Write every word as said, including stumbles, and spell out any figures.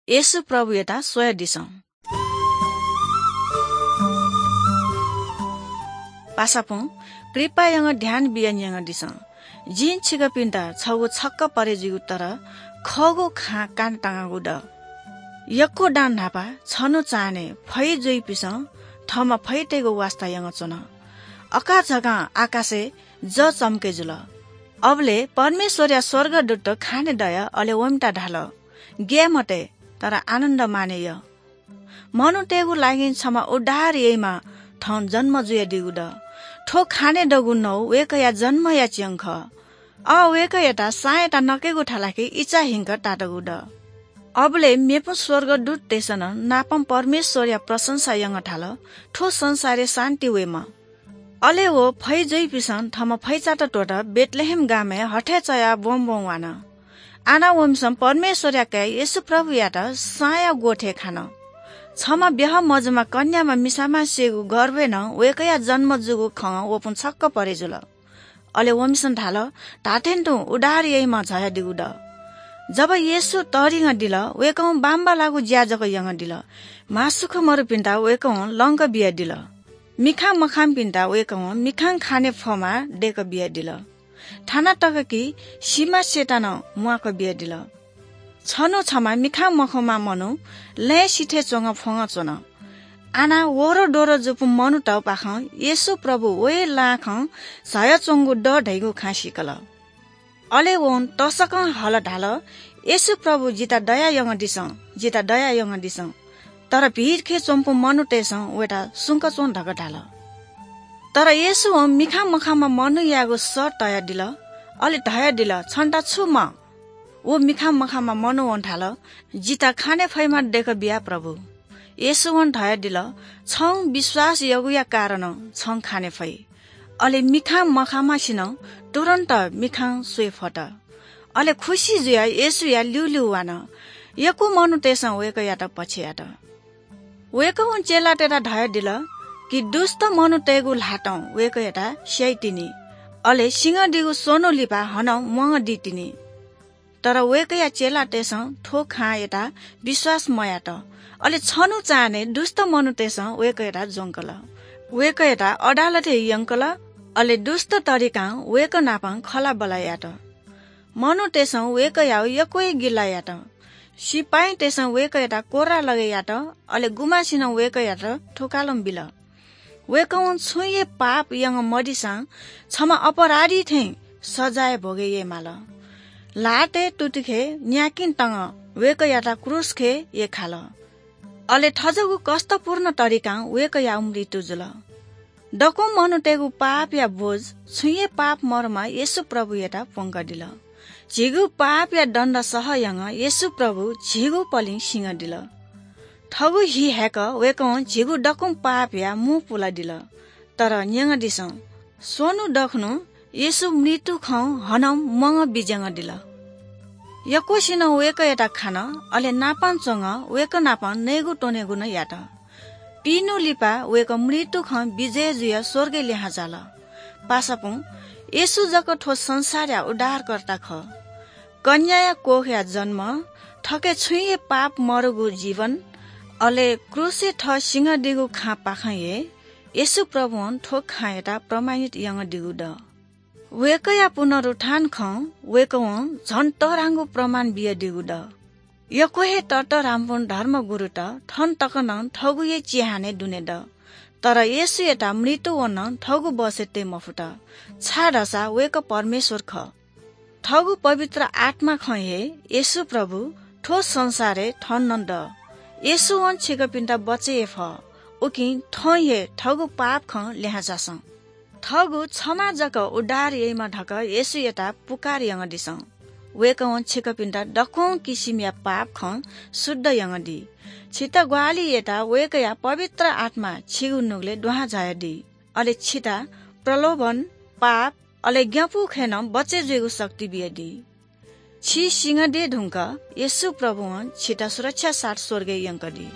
येशू प्रभुयात स्वयादिसँ। पासापुं, कृपा यानाः ध्यान बियाः न्यंदिसँ। जिं छिकपिन्त छगू छक्क परे जुइगु तर खःगु खँ कानातःगु दु। यक्व दां न्हापा छन्हु चान्हय् फै जुइपिसं थःम्हं फैतय्गु वास्ता यानाच्वन। अकाझाकां आकाशय् जः चम्के जुल। अबलय् परमेश्वरया स्वर्गदूतत खाने दयाः अले वमित धाल, "ग्याये मते, तर आनन्द मानय् या। मनूतय्गु लागिं छम्ह उद्धार याइम्ह थौं जन्म जुयादीगु दु। थ्व खाने दःगु नौ वय्कःया जन्मया च्यं खः। अ, वय्कःयात साँयात नकेगु थालाके इचा हिंक तातःगु दु।" अबलय् मेपिं स्वर्गदूततय्सं नं नापं परमेश्वरया प्रशंसा यानाः धाल, "थ्व संसारय् शान्ति वयेमा।" अले व फै जुइपिसं थःम्हं फैचात त्वःताः बेथलेहेम गामय् हथय् चयाः ब्वंब्वं वान। आः वंपिसं परमेश्वरया काय् येशू प्रभुयात साँया ग्वथय् खान। छम्ह ब्याहा मजूम्ह कन्याम्ह मिसाम्हसिगु गर्भय् नं वय्कःया जन्म जूगु खँ वःपिं छक्क परे जुल। अले वंपिसं धाल, "धात्थें तुं उद्धार याइम्ह झायादीगु दु।" जब येशू तःधिंकादिल, वय्कलं बांबांलाःगु ज्या जक यानादिल। म्हासुख्वः मरुपिन्त वय्कलं लंका बियादिल। मिखां मखांपिन्त वय्कलं मिखां खाने फःम्ह दय्का बियादिल। थाना तक कि सिमाछ्येत नं म्वाका बियादिल। छन्हु छम्ह मिखां मखंम्ह मनू लँय् सिथय् च्वंगः फ्वंगः च्वन। आः वह्रदोह्र जूपिं मनूतय्पाखें येशू प्रभु वया लाय्कं झायाच्वंगु दु धइगु खँ सीकल। अले वं तसकं हल धाल, "येशू प्रभु, जितः दया यानादिसँ, जितः दया यानादिसँ।" तर भिडखे च्वंपिं मनूतय्सं वयात सुंक च्वँ धकाः धाल। तर येशूं मिखां मखांम्ह मनूयागु सः तयादिल, अले धयादिल, "छन्त छु माः?" व मिखां मखांम्ह मनुवं धाल, "जितः खाने फइम्ह दय्का बिया प्रभु।" येशूं धयादिल, "छं विश्वास याःगुया कारणं छं खाने फइ।" अले मिखां मखांम्हसिनं तुरुन्त मिखां स्वये फत। अले खुसि जुयाः येशूया ल्यूल्यू वान। यक्व मनूतय्सं वय्कःयात पछ्ययात। वय्कलं चेलातय्त धयादिल कि दुष्‍ट मनूतय्गु ल्‍हातं वय्कःयात स्‍याइतिनि, अले सिंहदीगु स्‍वन्‍हु लिपा हानं म्‍वांगः दीतिनि। तर वय्कःया चेलातय्सं थ्‍व खँ यानाः विश्‍वास मयात। अले छन्‍हु चान्‍हय् दुष्‍ट मनूतय्सं वय्कःयात ज्‍वंकल। वय्कःयात अदालतय् यंकल, अले दुष्‍ट तरिकां वय्कः नाप खँल्‍हाबल्‍हा यात। मनूतय्सं वय्कःयागु यक्‍व हे गिला यात। सिपाइँतय्सं वय्कःयात कोर्रालगय् यात, अले गुम्‍हय्सिनं वय्कःयात थुकालं बिल। वय्कलं छुं हे पाप याना मदिसां छम्‍ह अपराधी थें सजाय भोगे यायेमाल। ल्‍हातय् तुतिखे न्‍याकिं तंगः वय्कःयात क्रूसखे यख्‍खाल। अले थज्‍याःगु कष्‍टपूर्ण तरिकां वय्कःयागु मृत्यु जुल। दक्‍वं मनूतय्गु पापया बोझ छुं हे पाप मदुम्‍ह येशू प्रभुयात प्‍वंकादिल। झीगु पापया दण्‍ड सह यानाः येशू प्रभु झीगु पलिं सिंहदिल। थःगु हि हाय्‌क वय्कलं झीगु दक्‍वं पापया मू पुलादिल। तर न्‍यंकादिसँ, स्‍वन्‍हु दखुन्‍हु येशू मृत्‍युखं हानं म्‍वांगः बिज्‍यानादिल। यक्‍वसिनं वय्कःयात खान, अले नापं च्‍वंगः वय्कः नाप नयेगु त्‍वनेगु नं यात। पिइन्‍हु लिपा वय्कः मृत्‍युखं विजय जुयाः स्‍वर्गय् लिहां झाल। पासापुं, येशू जक थ्‍व संसारया उद्धारकर्ता खः। कन्‍याया कोखया जन्‍म, थःके छुं हे पाप मदुगु जीवन, अले क्रूसय् थः सिंहदीगु खँपाखें हे येशू प्रभुं थ्‍व खँयात प्रमाणित यानादीगु दु। वय्कःया पुनरुत्थान खँ वय्कलं झन तःधंगु प्रमाण बियादीगु दु। यक्‍व हे ततःधंपिं धर्मगुरुत थन तक नं थःगु हे चिहानय् दुने दु। तर येशूयात मृत्‍युं नं थःगु बसय् तये मफुत, छाय्‌धाःसा वय्कः परमेश्‍वर खः। थःगु पवित्र आत्‍मां हे येशू प्रभु थ्‍व संसारय् थन नं दु। येशूं छिकपिन्‍त बचय् याये फः, उकिं थौं हे थःगु पाप खँ लिहां झासँ। थःगु छम्‍ह जक उद्धार याइम्‍ह धकाः येशूयात पुकार यानादिसँ। वय्कलं छिकपिन्‍त दक्‍वं किसिमया पाप खँ शुद्ध यानादी। छितः ग्‍वाहालि यायेत वय्कःया पवित्र आत्‍मां छिगु नुगलय् दुहां झायादी। अले छितः प्रलोभन, पाप, अले ग्‍यानापुगु खँय् नं बचय् जुइगु शक्ति बियादी। छि सिंहदये धुंकाः येशू प्रभुं छितः सुरक्षाया साथ स्‍वर्गय् यंकादी।